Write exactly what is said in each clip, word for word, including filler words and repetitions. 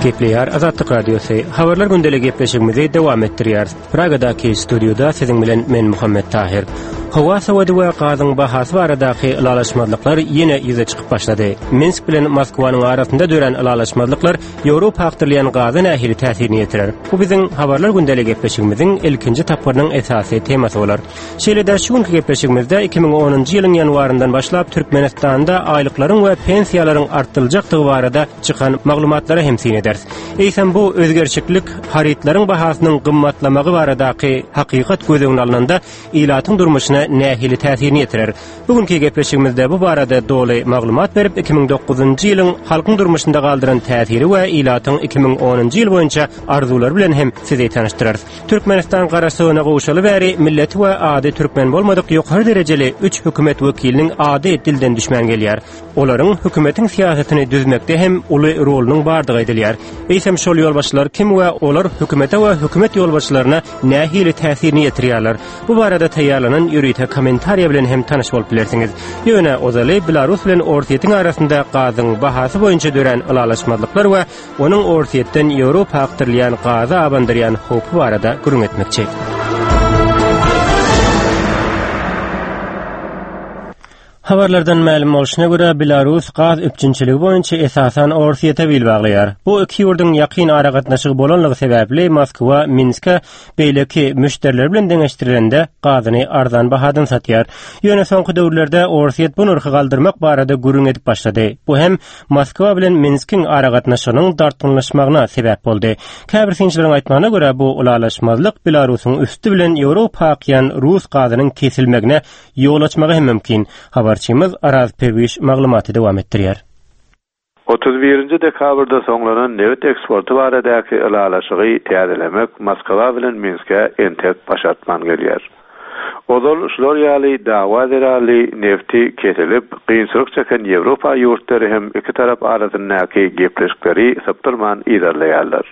Gepleýär Azatlyk Radiosy. Habarlar gündeligi gepleşigimizi dowam etdirýäris. Pragadaky studiýada siziň bilen men Muhammet Tahir. Howa sowady we gazyň bahasy baradaky ylalaşmazlyklar ýene ýüze çykyp başlady. Minsk bilen Moskwanyň arasynda dörän ylalaşmazlyklar Ýewropa akdyrylýan gaza nähili täsirini ýetirer? Bu biziň Habarlar gündeligi gepleşigimiziň ilkinji tapgyrynyň esasy temasy bolar. Şeýle-de şu günki gepleşigimizde iki müň onunjy ýylyň ýanwaryndan başlap Türkmenistanda aýlyklaryň we pensiýalaryň artdyryljakdygy barada çykan maglumatlara hem syn ederis. Eýsem bu özgerişiklik harytlaryň bahasynyň gymmatlamagy baradaky hakykat göz öňüne alnanda ilatyň durmuşyna nähili täsirini ýetirer? Bu günkü gepleşigimizde bu barada doly maglumat berip iki müň dokuzunjy ýylyň halkyň durmuşynda galdyran täsiri we ilatyň iki müň onunjy ýyl boýunça arzuwlary bilen hem sizi tanyşdyrarys. Türkmenistan garaşsyzlygyna gowşaly bäri milleti we ady türkmen bolmadyk ýokary derejeli üç hökümet wekiliniň ady dilden düşmän gelýär. Olaryň hökümetiň syýasatyny düzmekde hem uly rolunyň bardygy aýdylýar. Eýsem şol ýolbaşçylar kim we olar hökümete we hökümet ýolbaşçylaryna nähili täsirini ýetirýärler? Bu barada taýýarlanan ýörite kommentariýa bilen hem tanyş bolup bilersiňiz. Ýöne ozaly Belarus bilen Orsýetiň arasynda gazyň bahasy boýunça dörän ylalaşmazlyklar we onuň Orsýetden Ýewropa akdyrylýan gaza abandyrýan howpy barada gürrüň etmekçi. Habarlardan mälim bolşuna görä Belarus gaz üpjünçiligi boýunça esasan Orsýete bil baglaýar. Bu iki ýurduň ýakyn aragatnaşygy bolanlygy sebäpli Moskwa Minske beýleki müşderiler bilen deňeşdirilende gazyny arzan bahadan satýar. Ýöne soňky döwürlerde Orsýet bu nyrhy galdyrmak barada gürrüň edip başlady. Bu hem Moskwa bilen Minskiň aragatnaşygynyň dartgynlaşmagyna sebäp boldy. Käbir synçylaryň aýtmagyna görä bu ylalaşmazlyk Belarusyň üsti bilen Ýewropa akýan rus gazynyň kesilmegine ýol açmagy hem mümkin. Habarçymyz Araz Perwiş maglumaty dowam etdirýär. Otuz birinji dekabrda soňlanan nebit eksporty baradaky ylalaşygy täzelemek Moskwa bilen Minske entek başartman gelýär. Ozal şular ýaly dawa zerarly nefti kesilip, kynçylyk çeken Ýewropa ýurtlary hem iki tarap arasyndaky gepleşikleri sypdyrman yzarlaýarlar.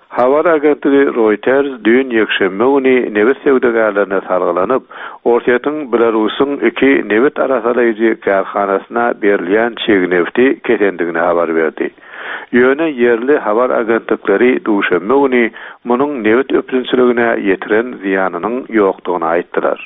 Habar agentligi Reuters düýn ýekşenbe güni nebit söwdagärlerine salgylanyp, Orsýetiň Belarusyň iki nebit arasalaýjy kärhanasyna berilýän çig nefti kesendigini habar berdi. Ýöne ýerli habar agentlikleri duşenbe güni munuň nebit üpjünçiligine ýetiren zyýanynyň ýokdugyny aýtdylar.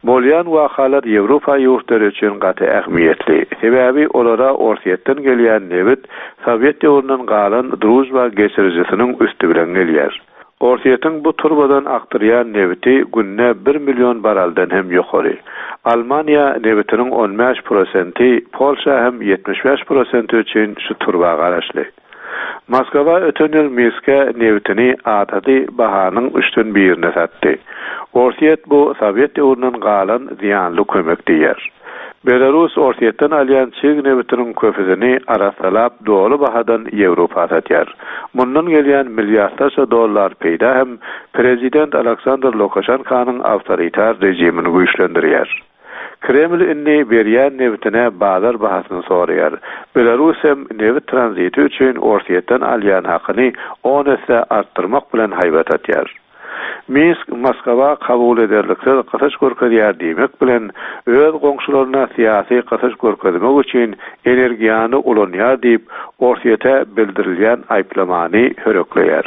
Bolýan wakalar Ýewropa ýurtlary üçin gaty ähmiýetli. Sebäbi olara Orsýetden gelýän nebit Sowet döwründen galan Druzhba geçirijisiniň üsti bilen gelýär. Orsýetiň bu turbadan akdyrýan nebiti günde bir million baraldan hem ýokary. Almaniýa nebitiniň on bäş prosenti, Polşa hem ýetmiş bäş prosenti üçin şu turba garaşly. Moskwa öten ýyl Minske nebitini adaty bahanyň üçden birine satdy. Orsýet bu Sowet döwründen galan zyýanly kömek diýer. Belarus Orsýetden alýan çig nebitiniň köpüsini arassalap doly bahadan Ýewropa satýar. Mundan gelýän milliardlarça dollar peýda hem prezident Aleksandr Lukaşenkanyň awtoritar rejimini güýçlendirýär. Kreml indi berýän nebitine bazar bahasyny soraýar. Belarus hem nebit tranziti üçin Orsýetden alýan hakyny on esse artdyrmak bilen haýbat atýar. Minsk Moskwa kabul ederliksiz gysyş görkezýär diýmek bilen öz goňşularyna syýasy gysyş görkezmek üçin energiýany ulanýar diýip Orsýete bildirilýän aýyplamany hörekleýär.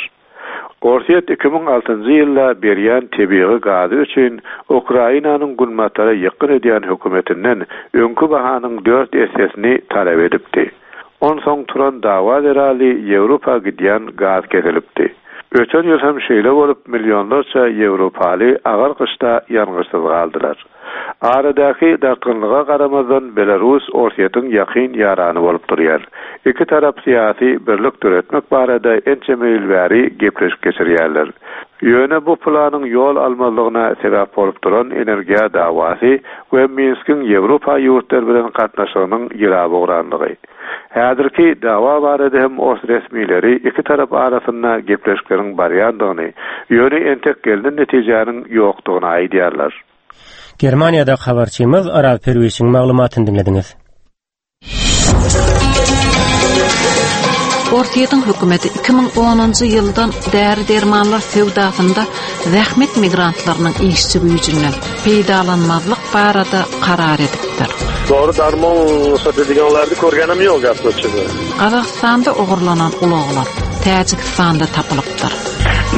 Orsýet iki müň altynjy ýylda berýän tebigy gazy üçin Ukrainanyň günbatara ýykgyn edýän hökümetinden öňkü bahanyň dört essesini talap edipdi. Onsoň turan dawa zerarly Ýewropa gidýän gaz kesilipdi. Öten ýyl hem şeýle bolup millionlarça Ýewropaly agyr gyşda ýangyçsyz galdylar. Aradaky dartgynlyga garamazdan Belarus Orsýetiň ýakyn ýarany bolup durýar. Iki tarap syýasy birlik döretmek barada ençeme ýyl bäri gepleşik geçirýärler. Ýöne bu planyň ýol almazlygyna sebäp bolup duran energiýa dawasy we Minskiň Ýewropa ýurtlary bilen gatnaşygynyň ýyla bogranlygy. Häzirki dawa barada hem ors resmileri iki tarap arasynda gepleşikleriň barýandygyny, ýöne entek gelnen netijäniň ýokdugyny aýdýarlar. Germaniýada habarçymyz Araz Perwişiň maglumatyny diňlediňiz. Orsýetiň hökümeti iki müň onunjy ýyldan däri-dermanlar söwdasynda zähmet migrantlarynyň işçi güýjünden peýdalanmazlyk barada karar edipdir. Dori darmon satadiganlarni ko'rganim yo'q gap ochig'i. Gazagystanda ogurlanan ulaglar Täjigistanda tapylypdyr.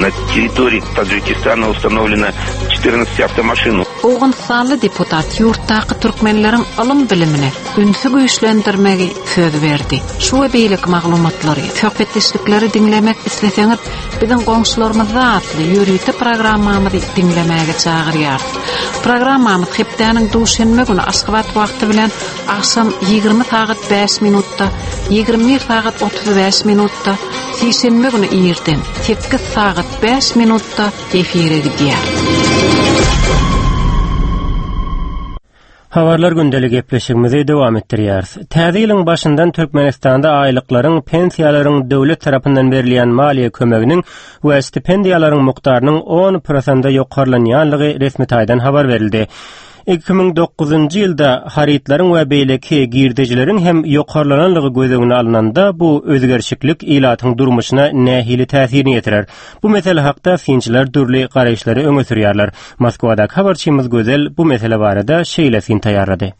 На территории Таджикистана установлено четырнадцать автомашин. Owganystanly deputat ýurtdaky türkmenleriň ylym-bilimine ünsi güýçlendirmegi söz berdi. Şu we beýleki maglumatlary, söhbetdeşlikleri diňlemek isleseňiz, biziň goňşularymyzda atly ýörite programmamyzy diňlemäge çagyrýarys. Programmamyz hepdäniň duşenbe güni Aşgabat wagty bilen agşam ýigrimi sagat bäş minutda, ýigrimi bir sagat otuz bäş minutda, sişenbe güni irden sekiz sagat bäş minutda efire gidýär. Habarlar gündelik gepleşigimizi dowam etdirýäris. Täze ýylyň başyndan Türkmenistanda aýlyklaryň, pensiýalaryň döwlet tarapyndan berilýän maliýe kömeginiň we stipendiýalaryň mukdarynyň on prosente ýokarlanýanlygy resmi taýdan habar berildi. Iki müň dokuzunjy ýylda harytlaryň we beýleki girdejileriň hem ýokarlananlygy göz öňüne alnanda bu özgerişiklik ilatyň durmuşyna nähili täsirini ýetirer. Bu mesele hakda synçylar dürli garaýyşlary öňe sürýärler. Moskwadaky habarçymyz Gözel bu mesele barada şeýle syn taýýarlady.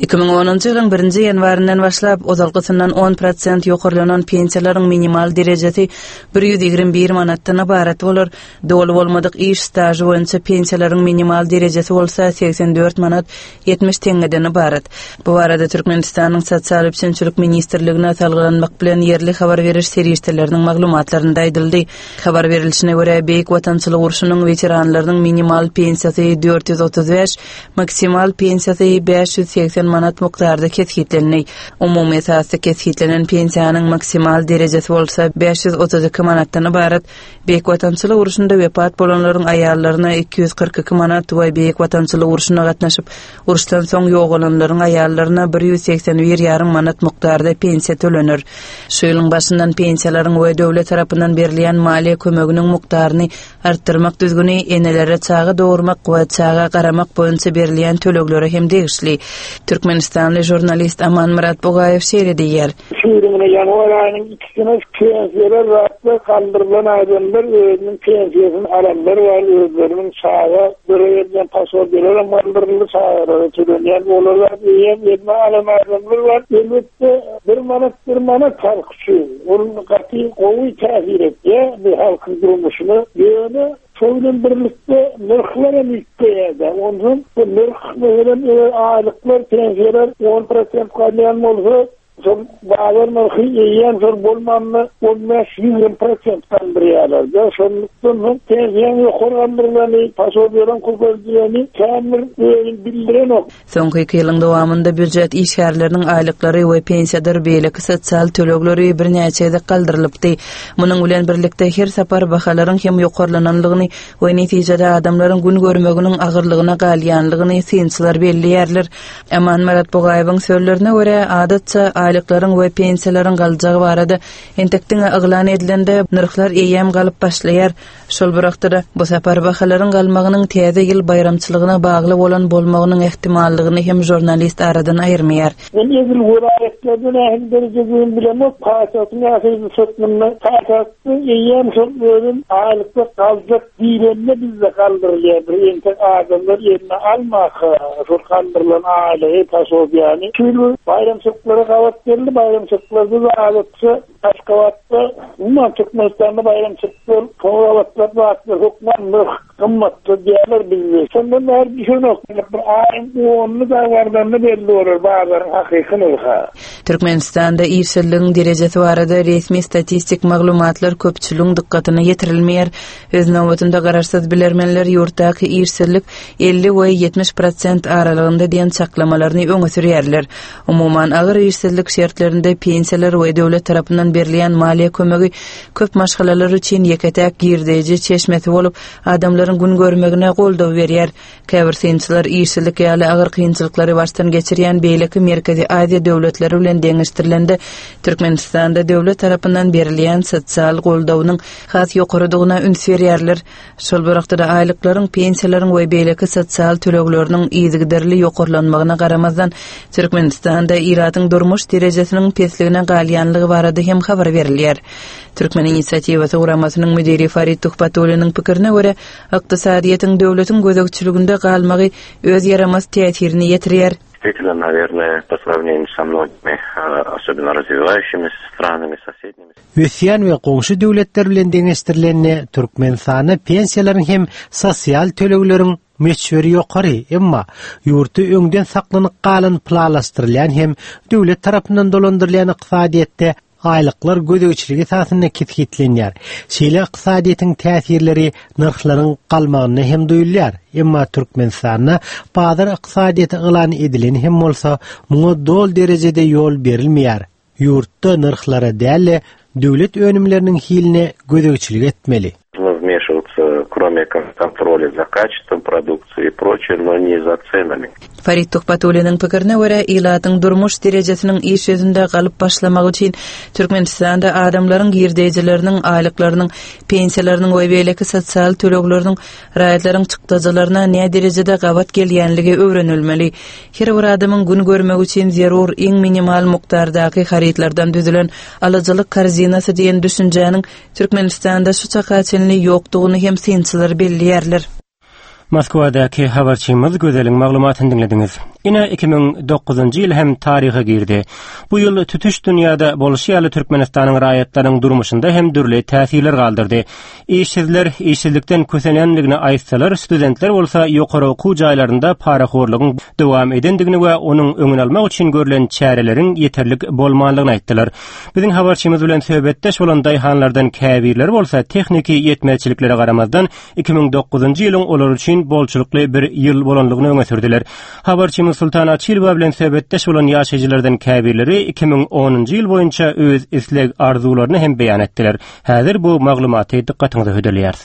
Iki müň onunjy ýylyň birinji ýanwaryndan başlap ozalkysyndan on prosent ýokarlanan pensiýalaryň minimal derejesi bir ýüz ýigrimi bir manatdan ybarat bolar. Doly bolmadyk iş stažy boýunça pensiýalaryň minimal derejesi bolsa seksen dört manat ýetmiş teňňeden ybarat. Bu barada Türkmenistanyň Sosial üpjünçilik ministrligine salgylanmak bilen ýerli habar beriş serişdeleriniň maglumatlarynda aýdyldy. Habar berilişine görä Beýik Watançylyk urşunyň weteranlarynyň minimal pensiýasy dört ýüz otuz bäş, maksimal pensiýasy bäş ýüz seksen manat mukdarda kesgitlendi. Umumy esasda kesgitlenen pensiýanyň maksimal derejesi bolsa bäş ýüz otuz iki manatdan ybarat. Beýik Watançylyk urşunda wepat bolanlaryň aýallaryna iki ýüz kyrk iki manat we Beýik Watançylyk urşuna gatnaşyp, uruşdan soň ýogalanlaryň aýallaryna bir ýüz seksen bir ýarym manat mukdarda pensiýa tölenir. Şu ýylyň başyndan pensiýalaryň we döwlet tarapyndan berilýän maliýe kömeginiň mukdaryny artdyrmak düzgüni enelere çaga dogurmak we çaga garamak boýunça berilýän töleglere hem degişli. Türkmenistanly žurnalist Aman Murat Bugaýew şeýle diýýär. Şu ýylyň ýanwar aýynyň ikisine pensiýalar zatlar galdyrylan adamlar özüniň pensiýasyny alanlar bar, özleriniň çaga berýän pasportlar hem galdyryldy, çagalara tölenýän olar eýýäm eline alan adamlar bar. Elbetde bir manat bir manat halk üçin. Ol gaty gowy täsir etýär bu halkyň durmuşyna. Ýöne şol bilen birlikde nyrhlar hem üýtgeýär. Ondan bu nyrh meselem eger aýlyklar, pensiýalar on prosent galýan bolsa, şol bazar nyrhy eýýäm şol bolmanmy on bäş ýigrimi prosent galdyrýarlar. Şonlukdan soň pensiýanyň ýokary galdyrylany, pasportlaryň köpeldileni kän bir özüni bildirenok. Soňky iki ýylyň dowamynda býujet işgärleriniň aýlyklary we pensiýadyr beýleki sosial tölegleri birnäçe gezek galdyrylypdy. Munuň bilen birlikde her sapar bahalaryň hem ýokarlananlygyny we netijede adamlaryň gün görmeginiň agyrlygyna galýanlygyny synçylar belleýärler. Aman Murat Bugaýewiň sözlerine görä, adatça aýlyklaryň we pensiýalaryň galjagy barada entek diňe yglan edilende nyrhlar eýýäm galyp başlaýar. Şol bir wagtda bu sapar bahalaryň galmagynyň täze ýyl baýramçylygyna bagly bolan bolmagynyň ähtimallygyny hem žurnalist aradan aýyrmaýar. Men edil welaýatlarda nähili derejede bilemok, paýtagtyň ýaşaýjy hökmünde paýtagtda eýýäm şol özüm aýlyklar galjak diýlende bizde galdyrylýar. Bir entek adamlar eline almaka şol galdyrylan aýlygy, pasportýany. Şu ýyl baýramçylyklara gabat geldi, baýramçylyklarda da adatça Aşgabatda, umuman Türkmenistanda baýramçylyklar, gabatlar zatlar hökman nyrh gymmatly diýerler bizde. Şondan bäri düşünok. Bir aýyň onunu da bardanny belli bolar bazaryň hakyky nyrhy. Türkmenistanda işsizligiň derejesi barada resmi statistik maglumatlar köpçüligiň dykgatyna ýetirilmeýär. Öz nobatynda garaşsyz bilermenler ýurtdaky işsizlik elli we ýetmiş prosent aralygynda diýen çaklamalaryny öňe sürýärler. Umuman agyr işsizlik şertlerinde pensiýalar we döwlet tarapyndan berilýän maliýe kömegi köp maşgalalar üçin ýeke-täk girdeji çeşmesi bolup, adamlaryň gün görmegine goldaw berýär. Käbir synçylar işsizlik ýaly agyr kynçylyklary başdan geçirýän beýleki Merkezi Aziýa döwletleri bilen deňeşdirilende Türkmenistanda döwlet tarapyndan berilýän sosial goldawynyň has ýokarydygyna üns berýärler. Şol bir wagtda aýlyklaryň, pensiýalaryň we beýleki sosial tölegleriniň yzygiderli ýokarlanmagyna garamazdan Türkmenistanda ilatyň durmuş derejesiniň pesligine galýanlygy barada hem habar berilýär. Türkmen inisiatiwasy guramasynyň müdiri Farid Tuhbatulliniň pikirine görä, ykdysadyýetiň döwletiň gözegçiliginde galmagy öz ýaramaz täsirini ýetirýär. Действительно, наверное, по сравнению со многими, особенно развивающимися странами, соседними. Ösýän we goňşy döwletler bilen deňeşdirilende Türkmenistanda pensiýalaryň hem sosial tölegleriň möçberi ýokary, emma ýurtda öňden saklanyp galan planlaşdyrylýan hem döwlet tarapyndan dolandyrylýan ykdysadyýetde aýlyklar gözegçilik esasynda kesgitlenýär. Şeýle ykdysadyýetiň täsirleri nyrhlaryň galmagyna hem duýulýar. Emma Türkmenistanda bazar ykdysadyýeti yglan edilen hem bolsa, muňa doly derejede ýol berilmeýär. Ýurtda nyrhlara däl, döwlet önümleriniň hiline gözegçilik etmeli. Вмешиваться, кроме как контроля за качеством продукции и прочее, но не за ценами. Farid Tuhbatulliniň pikirine görä, ilatyň durmuş derejesiniň iş ýüzünde galyp başlamagy üçin Türkmenistanda adamlaryň girdejileriniň, aýlyklarynyň, pensiýalarynyň we beýleki sosial tölegleriniň raýatlaryň çykdajylaryna näme derejede gabat gelýänligi öwrenilmeli. Her bir adamyň gün görmek üçin zerur iň minimal mukdardaky harytlardan düzülen alyjylyk korzinasy diýen düşünjäniň Türkmenistanda şu çaka çenli ýokdugyny hem synçylar belleýärler. Moskwadaky habarçymyz Gözeliň maglumatyny diňlediňiz. Ine iki müň dokuzynjy ýyl hem taryha girdi. Bu ýyl tutuş dünýäde bolşy ýaly Türkmenistanyň raýatlarynyň durmuşynda hem dürli täsirler galdyrdy. Işsizler işsizlikden kösenenligini aýtsalar, studentler bolsa ýokary okuw jaýlarynda parahorlugyň dowam edendigini we onuň öňüni almak üçin görlen çäreleriň ýeterlik bolmanlygyny aýtdylar. Biziň habarçymyz bilen söhbetdeş bolan daýhanlardan käbirleri bolsa tehniki ýetmezçiliklere garamazdan iki müň dokuzynjy ýylyň olar üçin bolçulykly bir ýyl bolanlygyny öňe sürdüler. Habarçymyz Sultan Açilowa bilen söhbetdeş bolan ýaşaýjylardan käbirleri iki müň onunjy ýyl boýunça öz isleg arzuwlaryny hem beýan etdiler. Häzir bu maglumaty dykgatyňyza hödürleýäris.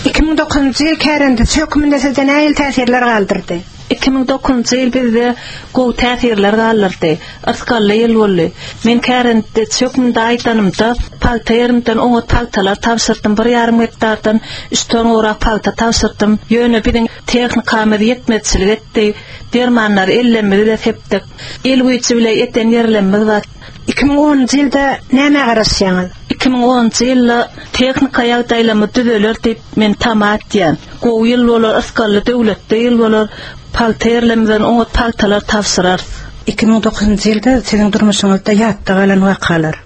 Iki müň dokuzynjy ýyl kärendeçi hökmünde sizde nähili täsirler galdyrdy? Iki müň dokuzynjy ýyl bizde gowy täsirler galdyrdy. Ysgally ýyl boldy. Men kärendeçi hökmünde aýdanymda pagta ýerimden oňa pagtalar tabşyrdym. Bir ýarym gektardan üç ton gowrak pagta tabşyrdym. Ýöne biziň tehnikamyz ýetmezçilik etdi. Dermanlar ellemimizi de sepdik. El güýji bile eten ýerlerimiz bar. Iki müň onunjy ýylda näme garaşýaňyz? Iki müň onunjy ýylda tehnika ýagdaýlamy düzeler diýip men tama etýän. Gowy ýyl bolar, ysgally döwletde ýyl bolar. Pagta ýerlerimizden oňa pagtalar tabşyrarys. Iki müň dokuzynjy ýylda siziň durmuşyňyzda ýatda galan wakalar.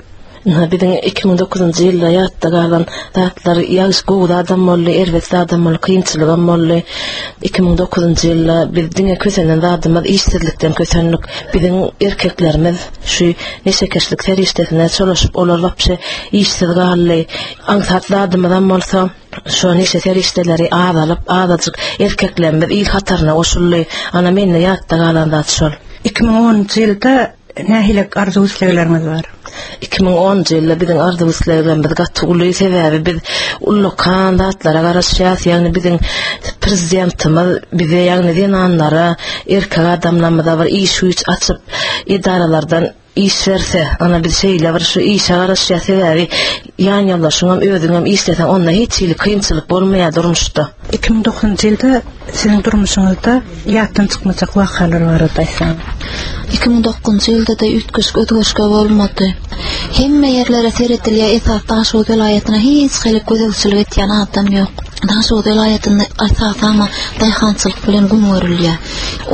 Ina biziň iki müň dokuzynjy ýylda ýatda galan zatlar ýagşy gowy adam boldy, erbet adam boldy, kynçylygam boldy. Iki müň dokuzynjy ýylda biz diňe kösenen zadymyz işsizlikden kösenlik. Biziň erkeklerimiz şu neşekeşlik serişdesine çolaşyp olar wapşe işsiz galdy. Aňsat zadymyzam bolsa şu neşe serişdeleri azalyp, azajyk erkeklerimiz il hataryna goşuldy. Ana mende ýatda galan zat şol. Iki müň onunjy ýylda nähili arzuw islegleriňiz bar? Iki müň onunjy ýylda biziň arzuw isleglerimiz gaty uly, sebäbi biz ullakan zatlara garaşýarys. Ýagny biziň prezidentimiz bize, ýagny zenanlara, erkek adamlarymyza bir iş güýç açyp edaralardan iş verse, ana biz şeýle bir şu işe garaşýar, sebäbi ýan ýoldaşyňam özüňem işleseň onda hiç hili kynçylyk bolmaýar durmuşda. Iki müň dokuzynjy ýylda siziň durmuşyňyzda ýatdan çykmajak wakalar barada aýtsaň. Iki müň dokuzynjy ýylda da üýtgeşik özgerişge bolmady. Hemme ýerlere seredilýär, esas Daşoguz welaýatyna hiç hili gözegçilik etýän adam ýok. Daşoguz welaýatynda esasan daýhançylyk bilen gün görülýär.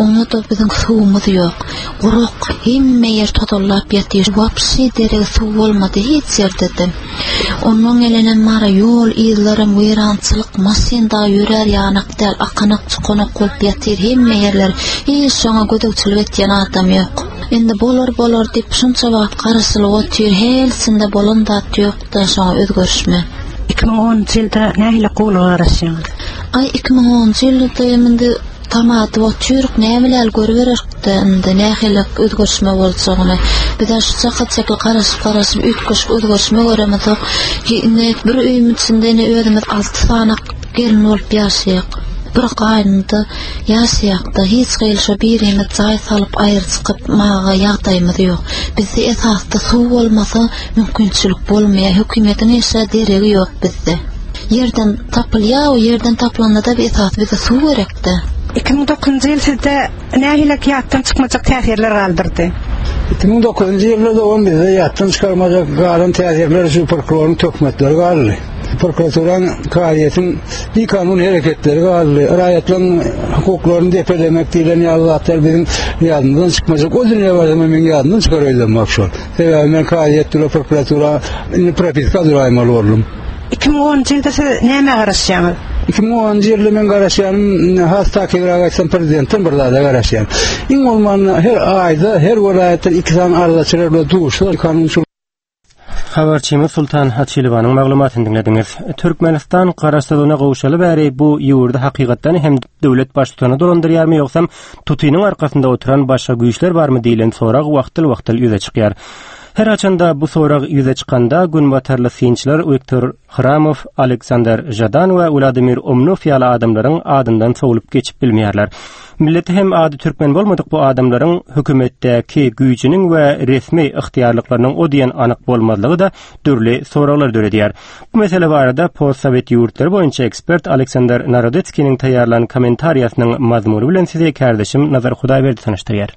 Oňa da biziň suwumyz ýok. Gurak, hemme ýer tozallap ýatyr. Wapşy derek suw bolmady hiç ýerde-de. Ondan gelenen mara ýol yzlarym weýrançylyk, maşyn da ýörer ýanak däl, akanak çukanak bolup ýatyr hemme ýerler. Hiç şoňa gözegçilik etýän adam ýok. Indi bolar bolar diýip şunça wagt garaşylyp otyr, helsinde bolan zat ýok da şoňa özgerişme. Iki müň onunjy ýylda nähili gowulyga garaşýaňyz? Ay iki müň onunjy ýylda indi tamaty otyryk, näme bilen görübererdi indi nähili özgerişme boljagyny. Biz şu çaka çekil garaşyp garaşyp üýtgeşik özgerişme göremezok. Indi bir öýüň içinde indi özümiz alty sany gelin bolup ýaşaýak. Bir gaýynda ýaşaýakda hiç gyl şo birimiz jaý salyp aýry çykyp maga ýagdaýymyz ýok. Bizde esasda suw bolmasa mümkinçilik bolmaýar. Hökümetiň işe deregi ýok bizde. Ýerden tapylýar, o ýerden tapylanda da bir esas bize suw gerekdi. Iki müň dokuzynjy ýyl sizde nähili ýatdan çykmajak täsirler galdyrdy? Iki müň dokuzynjy ýylda da on bizde ýatdan çykarmajak galan täsirler şu prokuroryň töhmetleri galdy. Prokuraturanyň, kazyýetiň bikanun hereketleri galdy. Raýatlaryň hukuklaryny depelemek diýlen ýaly zatlar biziň ýadymyzdan çykmajak. O dünýä barsam meniň ýadymdan çykar öýdemok şol. Sebäbi men kazyýet bilen prokuratura indi propiska duraýmaly boldum. Iki müň onunjy ýylda siz nämä garaşýaňyz? Iki müň onunjy ýylda men garaşýanym, has takygrak aýtsam, prezidentden bir zada garaşýan. Iň bolmanda her aýda her welaýatdan iki sany arzaçylar bilen duşsa, kanunçylyk Habarçymyz Sultan Açilowanyň maglumatyny diňlediňiz. Türkmenistan garaşsyzlygyna gowşaly bäri bu ýurdy hakykatdan hem döwlet baştutany dolandyrýarmy ýogsam tutynyň arkasynda oturan başga güýçler barmy diýlen sorag wagtal-wagtal ýüze çykýar. Her haçanda bu sorag ýüze çykanda günbatarly synçylar Wiktor Hramow, Aleksandr Žadan we Wladimir Umnow ýaly adamlaryň adyndan sowlup geçip bilmeýärler. Milleti hem ady türkmen bolmadyk bu adamlaryň hökümetdäki güýjüniň we resmi ygtyýarlyklarynyň o diýen anyk bolmazlygy-da dürli soraglar döredýär. Bu mesele barada postsowet ýurtlary boýunça ekspert Aleksandr Narodetskiniň taýýarlan kommentariýasynyň mazmuny bilen sizi kärdeşim Nazar Hudaýberdi tanyşdyrýar.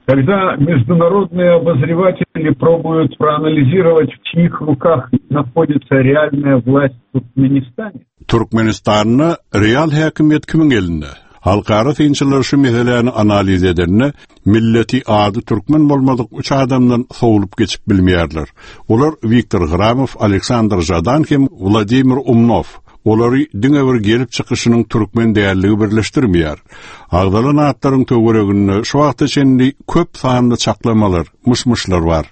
Когда международные обозреватели пробуют проанализировать, в чьих руках находится реальная власть в Туркменистане, Türkmenistanda real häkimiýet kimiň elinde? Halkara synçylar şu meseläni analiz edende milleti ady türkmen bolmadyk üç adamdan sowlup geçip bilmeýärler. Olar Wiktor Hramow, Aleksandr Žadan hem Wladimir Umnow. Olary diňe bir gelip çykyşynyň türkmen dälligi birleşdirmeýär. Agzalan atlaryň töwereginde şu wagta çenli köp sanly çaklamalar, myş-myşlar bar.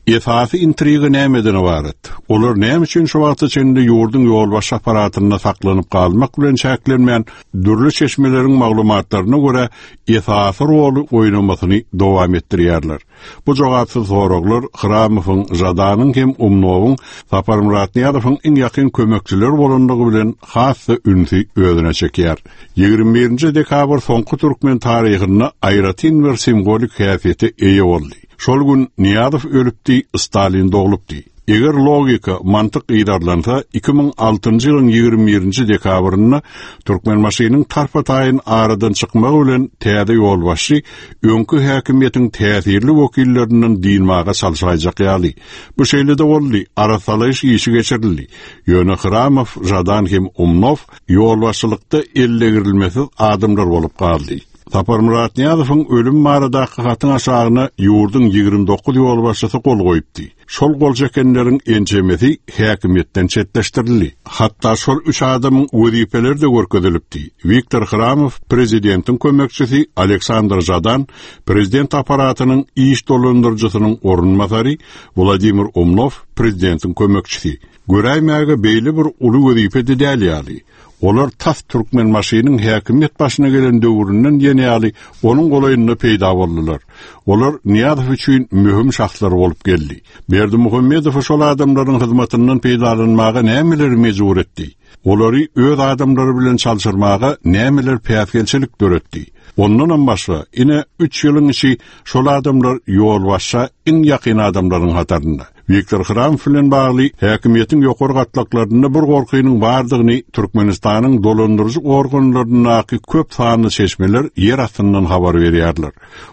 Esasy intriga nämeden ybarat? Olar näme üçin şu wagta çenli ýurduň ýolbaşçy aparatynda saklanyp galmak bilen çäklenmän, dürli çeşmeleriň maglumatlaryna görä esasy roly oýnamasyny dowam etdirýärler. Bu jogapsyz soraglar Hramowyň, Žadanyň hem Umnowyň Saparmyrat Nyýazowyň iň ýakyn kömekçileri bolanlygy bilen has-da ünsi özüne çekýär. Ýigrimi birinji dekabr soňky türkmen taryhynda aýratyn bir simwolik häsiýete eýe boldy. Şol gün Nyýazow ölüpdi, Stalin doglupdy. Eger logika, mantyk yzarlansa, iki müň altynjy ýylyň ýigrimi birinji dekabrynda Türkmenbaşynyň tarpa-taýyn aradan çykmagy bilen täze ýolbaşçy öňki häkimiýetiň täsirli wekillerinden dynmaga çalşaýjak ýaly. Bu şeýle-de boldy, arasalaýyş işi geçirildi. Ýöne Hramow, Žadan hem Umnow ýolbaşçylykda ellegirilmesiz adamlar bolup galdy. Saparmyrat Nyýazowyň ölüm baradaky hatyň aşagyna ýurduň ýigrimi dokuz ýolbaşçysy gol goýupdy. Şol gol çekenleriň ençemesi häkimiýetden çetleşdirildi. Hatda şol üç adamyň wezipeleri de görkezilipdi. Wiktor Hramow prezidentiň kömekçisi, Aleksandr Žadan prezident aparatynyň iş dolandyryjysynyň orunbasary, Wladimir Umnow prezidentiň kömekçisi. Göräýmäge beýle bir uly wezipe de däl ýaly. Olar tas Türkmenbaşynyň häkimiýet başyna gelen döwründen diýen ýaly onuň golaýynda peýda boldular. Olar Nyýazow üçin möhüm şahslar bolup geldi. Berdimuhamedow şol adamlaryň hyzmatyndan peýdalanmaga nämeleri mejbur etdi? Olary öz adamlary bilen çalşyrmaga nämeler päsgelçilik döretdi? Ondanam başga ine üç ýylyň içi şol adamlar ýolbaşça iň ýakyn adamlaryň hatarynda. Wiktor Hramow bilen bagly häkimiýetiň ýokary gatlaklarynda bir gorkynyň bardygyny Türkmenistanyň dolandyryjy organlaryndaky köp sanly çeşmeler ýer astyndan habar berýärler.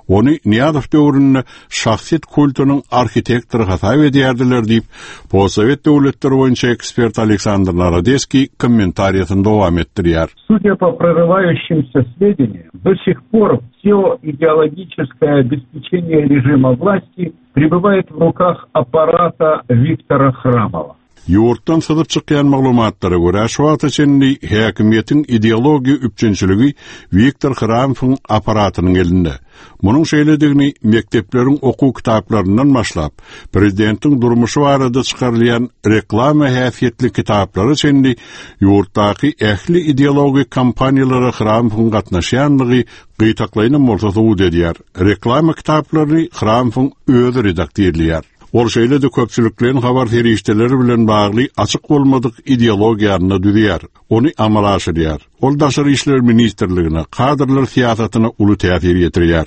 Ony Nyýazow döwründe şahsyýet kultunyň arhitektory hasap edýärdiler diýip, postsowet döwletleri boýunça ekspert Aleksandr Narodeskiý kommentariýasyny dowam etdirýär. Судя по прорывающимся сведениям, до сих пор все идеологическое обеспечение режима власти пребывает в руках аппарата Виктора Храмова. Ýurtdan syzyp çykýan maglumatlara görä, şu wagta çenli häkimiýetiň ideologiýa üpjünçiligi Wiktor Hramowyň aparatynyň elinde. Munuň şeýledigini mekdepleriň okuw kitaplaryndan başlap, prezidentiň durmuşy barada çykarylýan reklama häsiýetli kitaplara çenli ýurtdaky ähli ideologik kampaniýalara Hramowyň gatnaşýanlygy gytaklaýynam bolsa subut edýär. Reklama kitaplaryny Hramowyň özi redaktirleýär. Ol şeýle-de köpçülikleýin habar serişdeleri bilen bagly açyk bolmadyk ideologiýasyny düzýär, ony amala aşyrýar. Ol Daşary işler ministrligine, kadrlar syýasatyna uly täsir ýetirýär.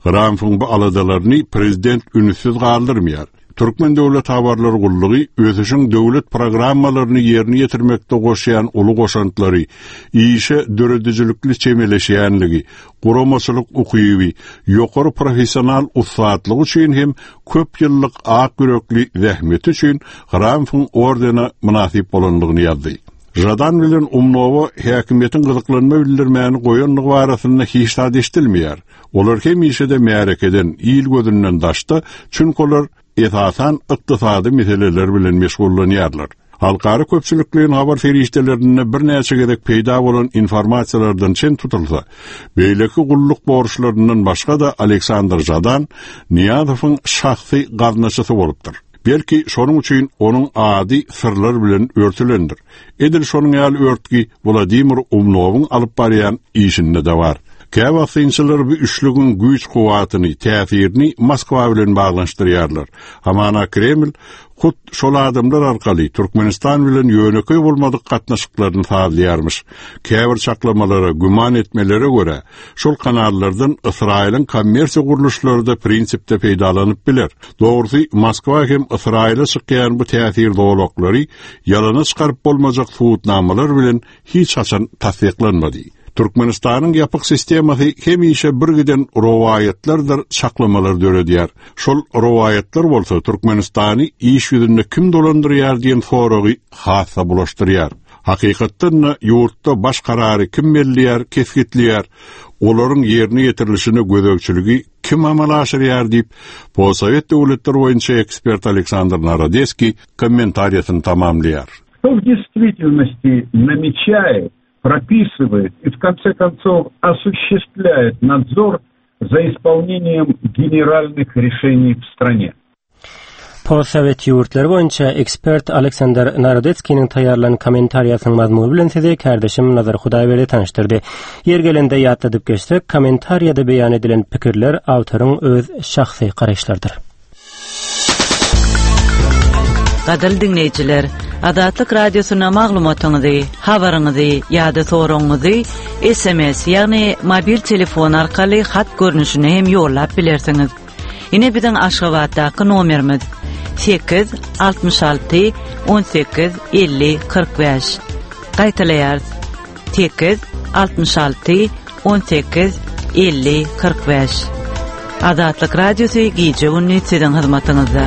Hramowyň bu aladalaryny prezident ünssüz galdyrmaýar. Türkmen döwlet habarlar gullugy ösüşiň döwlet programmalaryny ýerine ýetirmekde goşýan uly goşantlary, işe döredijilikli çemeleşýänligi, guramaçylyk ukyby, ýokary professional ussatlygy üçin hem köp ýyllyk ak ýürekli zähmeti üçin Hramowyň ordene mynasyp bolanlygyny ýazdy. Žadan bilen Umnowa häkimiýetiň gyzyklanma bildirmäni goýanlygy barasynda hiç zat eşidilmeýär. Olar hemişe-de märekeden, il gözünden daşda, çünki olar esasan ykdysady meseleler bilen meşgullanýarlar. Halkara köpçülikleýin habar serişdelerinde birnäçe gezek peýda bolan informasiýalardan çen tutulsa, beýleki gulluk borçlaryndan başga-da Aleksandr Žadan Niýazowyň şahsy gaznaçysy bolupdyr. Belki şonuň üçin onuň ady syrlar bilen örtülendir. Edil şonuň ýaly örtgi Wladimir Umnowyň alyp barýan işinde de bar. Käwagt synçylar bu üçlügiň güýç kuwwatyny, täsirini Moskwa bilen baglanyşdyrýarlar. Hamana Kreml hut şol adamlar arkaly Türkmenistan bilen ýönekeý bolmadyk gatnaşyklaryny sazlaýarmyş. Käbir çaklamalara, güman etmelere görä, şol kanallardan Ysraýylyň kommersiýa gurluşlary-da prinsipde peýdalanyp biler. Dogrusy, Moskwa hem Ysraýyla çykýan bu täsir zolaklary ýalana çykaryp bolmajak subutnamalar bilen hiç haçan tassyklanmady. Türkmenistanyň ýapyk sistemasy hemişe bir giden rowaýatlardyr çaklamalar döredýär. Şol rowaýatlar bolsa Türkmenistany iş ýüzünde kim dolandyrýar diýen soragy hassa bulaşdyrýar. Hakykatdan-da ýurtda baş karary kim belleýär, kesgitleýär, olaryň ýerine ýetirilişine gözegçiligi kim amala aşyrýar diýip, postsowet döwletler boýunça ekspert Aleksandr Narodeskiý kommentariýasyny tamamlaýar. Кто в действительности намечает, прописывает и в конце концов осуществляет надзор за исполнением генеральных решений в стране? Postsowet ýurtlary boýunça ekspert Aleksandr Narodetskiniň taýýarlan kommentariýasynyň mazmuny bilen sizi kardeşim Nazar Hudaýberdi tanyşdyrdy. Ýer gelende ýatladyp geçsek, kommentariýada beýan edilen pikirler awtoryň öz şahsy garaýyşlarydyr. Gadyrly diňleýjiler, Azatlyk Radiosyna maglumatyňyzy, habaryňyzy ýa-da soragyňyzy S M S, ýagny mobil telefon arkaly hat görnüşinde hem ýollap bilersiňiz. Ine biziň Aşgabatdaky nomerimiz: sekiz altmyş alty on sekiz elli kyrk bäş. Gaýtalaýarys: sekiz altmyş alty on sekiz elli kyrk bäş. Azatlyk Radiosy gije gündüz siziň hyzmatyňyzda.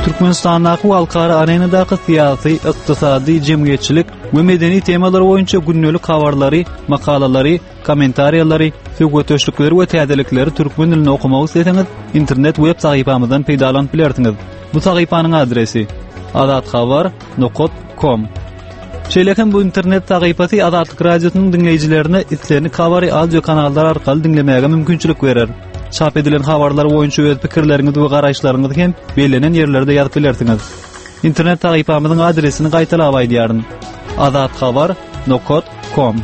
Türkmenistandaky we halkara arenadaky syýasy, ykdysady, jemgyýetçilik we medeni temalar boýunça gündelik habarlary, makalalary, kommentariýalary, söhbetdeşlikleri we täzelikleri türkmen dilinde okamak isleseňiz, internet web sahypamyzdan peýdalanyp bilersiňiz. Bu sahypanyň adresi: azathabar nokta com. Şeýle hem bu internet sahypasy Azatlyk Radiosynyň diňleýjilerine islendik habary audio kanallar arkaly diňlemäge mümkinçilik berer. Çap edilen habarlar boýunça öz pikirleriňizi we garaýyşlaryňyzy hem bellenen ýerlerde ýazyp bilersiňiz. Internet sahypamyzyň adresini gaýtalap aýdýaryn: azathabar nokta com.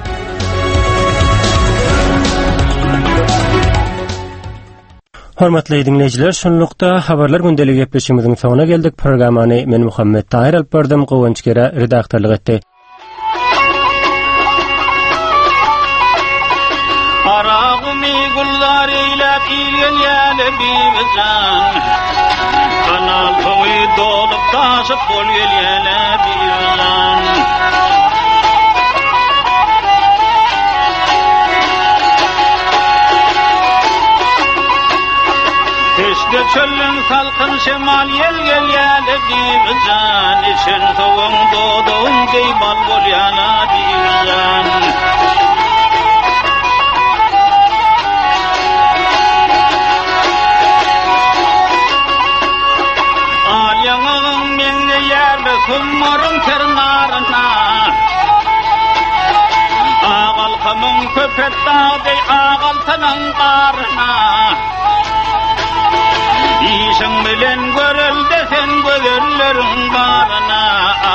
Hormatly diňleýjiler, şunlukda habarlar gündeligi gepleşigimiziň soňuna geldik. Programmany men Muhammet Tahir alyp bardym, Gowanç Gera redaktorlyk etdi. Garagümi gülzar eýläp il gelýäle, Bibijan. Kanal suwy dolup daşyp bol gelýäle, Bibijan. Peşde çölün salkyn şemal ýel gelýäle, Bibijan. Içen suwuň doduň deý bal bolýana, Bibijan. Al ýaňagyň meňzeýärle summaryň ternarına. Agalkamyň köpet dağ agaltanyň garyna. Işiň bilen görelde sen gözelleriň baryna.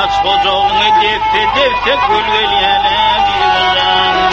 Aç hojagyňy desse desse gül gelýäle, Bibijan.